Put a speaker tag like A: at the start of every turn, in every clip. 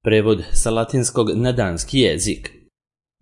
A: Prevod sa latinskog na danski jezik.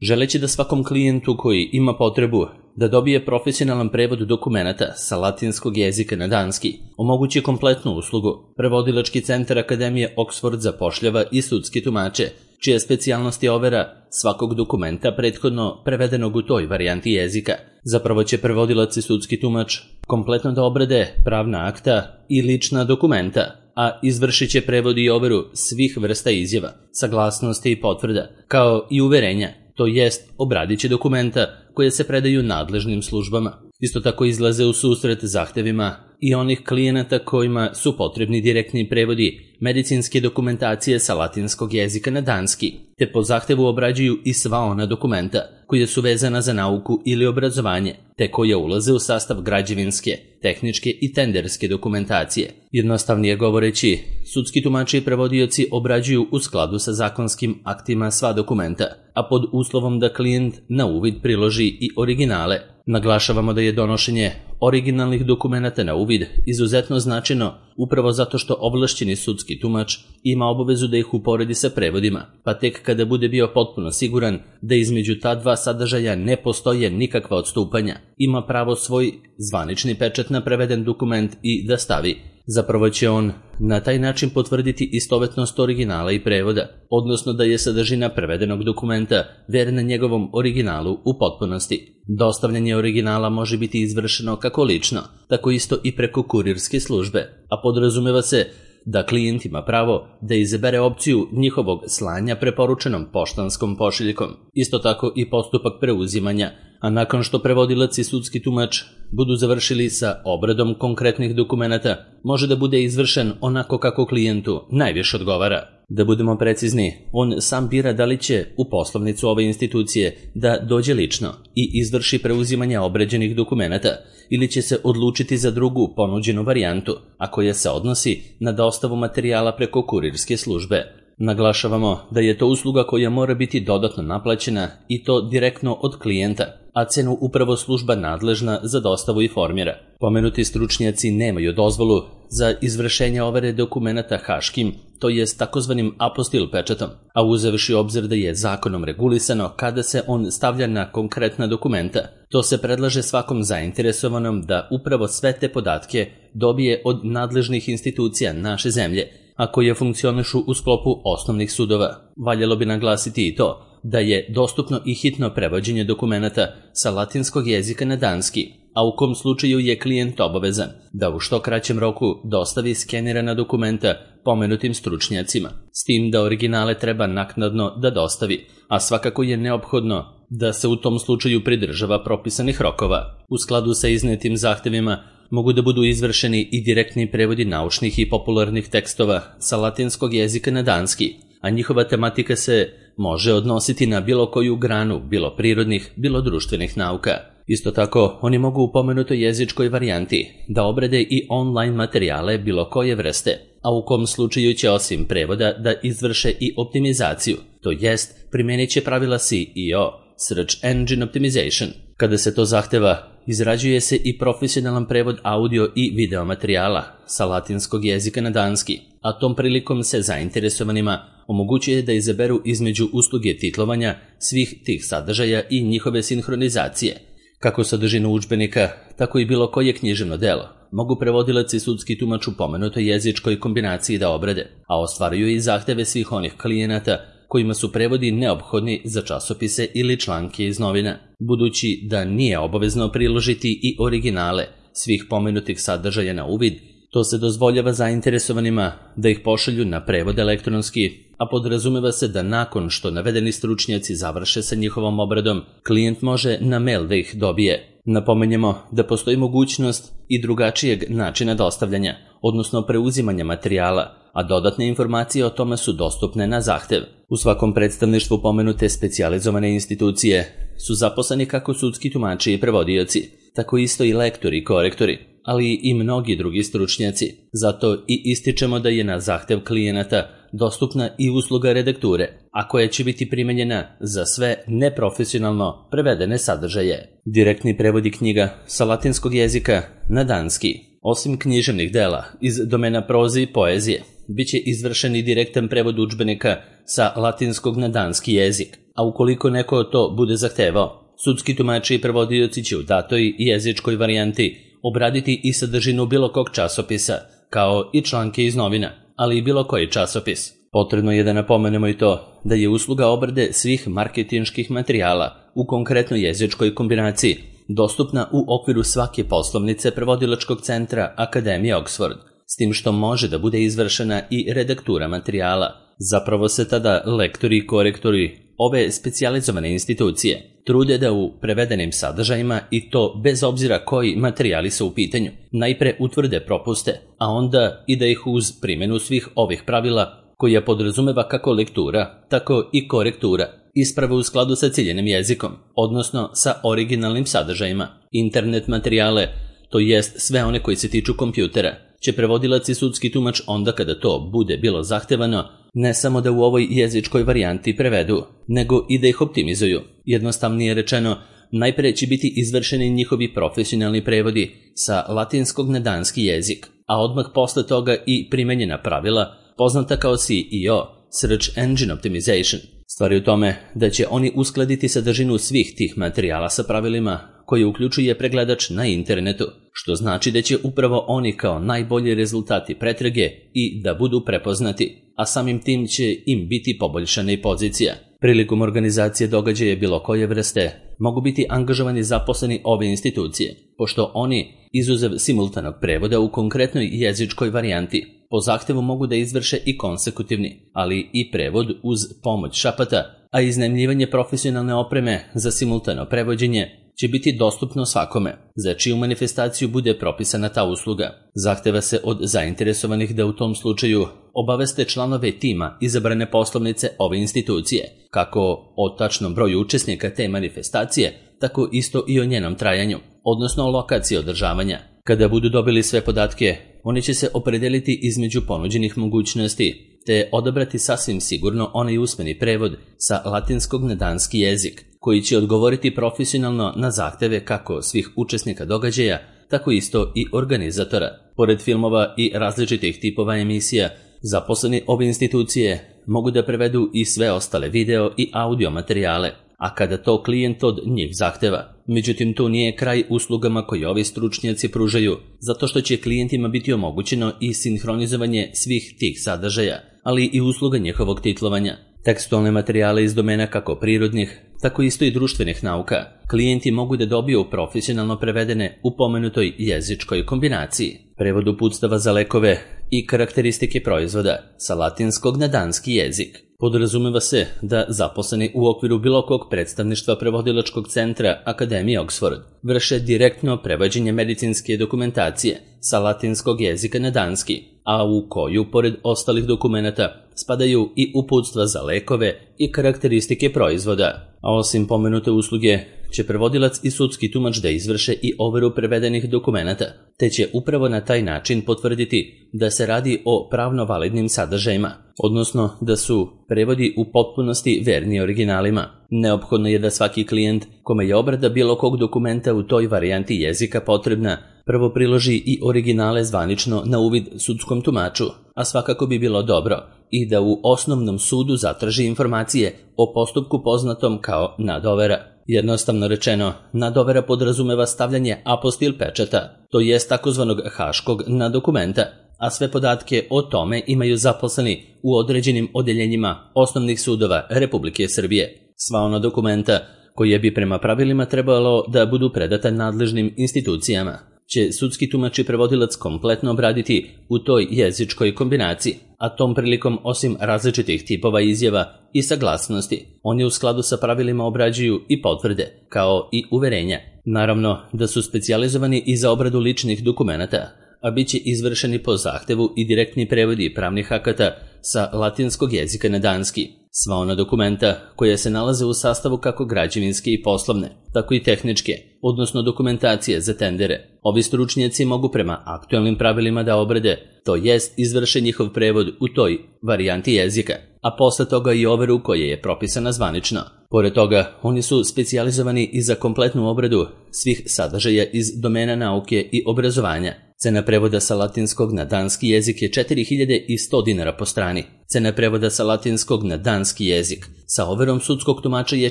A: Želeći da svakom klijentu koji ima potrebu da dobije profesionalan prevod dokumenata sa latinskog jezika na danski omogući kompletnu uslugu, Prevodilački centar Akademije Oxford zapošljava i sudski tumače, čija specijalnost je overa svakog dokumenta prethodno prevedenog u toj varijanti jezika. Zapravo će prevodilac i sudski tumač kompletno da obrade pravna akta i lična dokumenta, a izvršit će prevod i overu svih vrsta izjava, saglasnosti i potvrda, kao i uverenja, to jest obradit će dokumenta koje se predaju nadležnim službama. Isto tako izlaze u susret zahtevima i onih klijenata kojima su potrebni direktni prevodi medicinske dokumentacije sa latinskog jezika na danski, te po zahtevu obrađuju i sva ona dokumenta koja su vezana za nauku ili obrazovanje, te koja ulaze u sastav građevinske, tehničke i tenderske dokumentacije. Jednostavnije govoreći, sudski tumači i prevodioci obrađuju u skladu sa zakonskim aktima sva dokumenta, a pod uslovom da klijent na uvid priloži i originale. Naglašavamo da je donošenje originalnih dokumenata na uvid izuzetno značajno upravo zato što ovlašćeni sudski tumač ima obavezu da ih uporedi sa prevodima, pa tek kada bude bio potpuno siguran da između ta dva sadržaja ne postoje nikakva odstupanja, ima pravo svoj zvanični pečat na preveden dokument i da stavi. Zapravo će on na taj način potvrditi istovetnost originala i prevoda, odnosno da je sadržina prevedenog dokumenta verna njegovom originalu u potpunosti. Dostavljanje originala može biti izvršeno kako lično, tako isto i preko kurirske službe, a podrazumeva se da klijent ima pravo da izabere opciju njihovog slanja preporučenom poštanskom pošiljkom. Isto tako i postupak preuzimanja, a nakon što prevodilac i sudski tumač budu završili sa obradom konkretnih dokumenata, može da bude izvršen onako kako klijentu najviše odgovara. Da budemo precizni, on sam bira da li će u poslovnicu ove institucije da dođe lično i izvrši preuzimanje obrađenih dokumenata ili će se odlučiti za drugu ponuđenu varijantu, a koja se odnosi na dostavu materijala preko kurirske službe. Naglašavamo da je to usluga koja mora biti dodatno naplaćena i to direktno od klijenta, a cenu upravo služba nadležna za dostavu i formira. Pomenuti stručnjaci nemaju dozvolu za izvršenje overe dokumenata haškim, to jest takozvanim apostil pečatom, a uzevši obzir da je zakonom regulisano kada se on stavlja na konkretna dokumenta, to se predlaže svakom zainteresovanom da upravo sve te podatke dobije od nadležnih institucija naše zemlje, a koje funkcionišu u sklopu osnovnih sudova. Valjalo bi naglasiti i to da je dostupno i hitno prevođenje dokumenata sa latinskog jezika na danski, a u kom slučaju je klijent obavezan da u što kraćem roku dostavi skenirana dokumenta pomenutim stručnjacima, s tim da originale treba naknadno da dostavi, a svakako je neophodno da se u tom slučaju pridržava propisanih rokova. U skladu sa iznetim zahtevima mogu da budu izvršeni i direktni prevodi naučnih i popularnih tekstova sa latinskog jezika na danski, a njihova tematika se može odnositi na bilo koju granu, bilo prirodnih, bilo društvenih nauka. Isto tako, oni mogu u pomenutoj jezičkoj varijanti da obrade i online materijale bilo koje vrste, a u kom slučaju će osim prevoda da izvrše i optimizaciju, to jest primenit će pravila SEO, Search Engine Optimization. Kada se to zahteva, izrađuje se i profesionalan prevod audio i video materijala sa latinskog jezika na danski, a tom prilikom se zainteresovanima omogućuje da izaberu između usluge titlovanja svih tih sadržaja i njihove sinhronizacije. Kako sadržinu udžbenika, tako i bilo koje književno delo mogu prevodilac i sudski tumač u pomenutoj jezičkoj kombinaciji da obrade, a ostvaruju i zahteve svih onih klijenata kojima su prevodi neophodni za časopise ili članke iz novina. Budući da nije obavezno priložiti i originale svih pomenutih sadržaja na uvid, to se dozvoljava zainteresovanima da ih pošalju na prevod elektronski, a podrazumeva se da nakon što navedeni stručnjaci završe sa njihovom obradom, klijent može na mail da ih dobije. Napomenjemo da postoji mogućnost i drugačijeg načina dostavljanja, odnosno preuzimanja materijala, a dodatne informacije o tome su dostupne na zahtev. U svakom predstavništvu pomenute specijalizovane institucije su zaposleni kako sudski tumači i prevodioci, tako isto i lektori i korektori, ali i mnogi drugi stručnjaci. Zato i ističemo da je na zahtev klijenata dostupna i usluga redakture, a koja će biti primenjena za sve neprofesionalno prevedene sadržaje. Direktni prevodi knjiga sa latinskog jezika na danski, osim književnih dela iz domena proze i poezije, bit će izvršen i direktan prevod udžbenika sa latinskog na danski jezik, a ukoliko neko to bude zahtevao, sudski tumači i prevodioci će u datoj jezičkoj varijanti obraditi i sadržinu bilo kog časopisa, kao i članke iz novina, ali i bilo koji časopis. Potrebno je da napomenemo i to da je usluga obrade svih marketinških materijala u konkretnoj jezičkoj kombinaciji dostupna u okviru svake poslovnice prevodilačkog centra Akademije Oxford, s tim što može da bude izvršena i redaktura materijala. Zapravo se tada lektori i korektori ove specijalizovane institucije trude da u prevedenim sadržajima, i to bez obzira koji materijali su u pitanju, najpre utvrde propuste, a onda i da ih uz primjenu svih ovih pravila, koja podrazumeva kako lektura, tako i korektura, isprave u skladu sa ciljenim jezikom, odnosno sa originalnim sadržajima. Internet materijale, to jest sve one koji se tiču kompjutera, će prevodilac i sudski tumač onda kada to bude bilo zahtevano, ne samo da u ovoj jezičkoj varijanti prevedu, nego i da ih optimizuju. Jednostavnije rečeno, najpre će biti izvršeni njihovi profesionalni prevodi sa latinskog na danski jezik, a odmah posle toga i primenjena pravila, poznata kao SEO, Search Engine Optimization. Stvar je u tome da će oni uskladiti sadržinu svih tih materijala sa pravilima koje uključuje pregledač na internetu, što znači da će upravo oni kao najbolji rezultati pretrage i da budu prepoznati, a samim tim će im biti poboljšana i pozicija. Prilikom organizacije događaja bilo koje vrste mogu biti angažovani zaposleni ove institucije, pošto oni, izuzev simultanog prevoda u konkretnoj jezičkoj varijanti, po zahtevu mogu da izvrše i konsekutivni, ali i prevod uz pomoć šapata, a iznajmljivanje profesionalne opreme za simultano prevođenje će biti dostupno svakome, za čiju manifestaciju bude propisana ta usluga. Zahteva se od zainteresovanih da u tom slučaju obaveste članove tima izabrane poslovnice ove institucije, kako o tačnom broju učesnika te manifestacije, tako isto i o njenom trajanju, odnosno lokaciji održavanja. Kada budu dobili sve podatke, oni će se opredeliti između ponuđenih mogućnosti, te odabrati sasvim sigurno onaj usmeni prevod sa latinskog na danski jezik, koji će odgovoriti profesionalno na zahteve kako svih učesnika događaja, tako isto i organizatora. Pored filmova i različitih tipova emisija, zaposleni ove institucije mogu da prevedu i sve ostale video i audio materijale, a kada to klijent od njih zahteva. Međutim, to nije kraj uslugama koje ovi stručnjaci pružaju, zato što će klijentima biti omogućeno i sinhronizovanje svih tih sadržaja, ali i usluga njihovog titlovanja. Tekstualne materijale iz domena kako prirodnih, tako isto i društvenih nauka, klijenti mogu da dobiju profesionalno prevedene u pomenutoj jezičkoj kombinaciji. Prevod uputstava za lekove i karakteristike proizvoda sa latinskog na danski jezik. Podrazumeva se da zaposleni u okviru bilo kog predstavništva prevodilačkog centra Akademije Oxford vrše direktno prevođenje medicinske dokumentacije sa latinskog jezika na danski, a u koju, pored ostalih dokumenata, spadaju i uputstva za lekove i karakteristike proizvoda. A osim pomenute usluge, će prevodilac i sudski tumač da izvrše i overu prevedenih dokumenata, te će upravo na taj način potvrditi da se radi o pravno validnim sadržajima, odnosno da su prevodi u potpunosti verni originalima. Neophodno je da svaki klijent kome je obrada bilo kog dokumenta u toj varijanti jezika potrebna, prvo priloži i originale zvanično na uvid sudskom tumaču, a svakako bi bilo dobro i da u osnovnom sudu zatraži informacije o postupku poznatom kao nadovera. Jednostavno rečeno, nadovera podrazumeva stavljanje apostil pečata, to jest takozvanog haškog na dokumenta, a sve podatke o tome imaju zaposleni u određenim odeljenjima osnovnih sudova Republike Srbije. Sva ona dokumenta koje bi prema pravilima trebalo da budu predata nadležnim institucijama će sudski tumač i prevodilac kompletno obraditi u toj jezičkoj kombinaciji, a tom prilikom osim različitih tipova izjava i saglasnosti, oni u skladu sa pravilima obrađuju i potvrde, kao i uverenja. Naravno da su specijalizovani i za obradu ličnih dokumenata, a bit će izvršeni po zahtevu i direktni prevodi pravnih akata sa latinskog jezika na danski. Sva ona dokumenta koja se nalaze u sastavu kako građevinske i poslovne, tako i tehničke, odnosno dokumentacije za tendere. Ovi stručnjaci mogu prema aktualnim pravilima da obrade, to jest izvrše njihov prevod u toj varijanti jezika, a posle toga i overu koja je propisana zvanično. Pored toga, oni su specijalizovani i za kompletnu obradu svih sadržaja iz domena nauke i obrazovanja. Cena prevoda sa latinskog na danski jezik je 4100 dinara po strani. Cena prevoda sa latinskog na danski jezik sa overom sudskog tumača je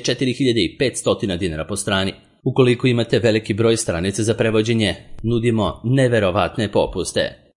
A: 4500 dinara po strani. Ukoliko imate veliki broj stranica za prevođenje, nudimo neverovatne popuste.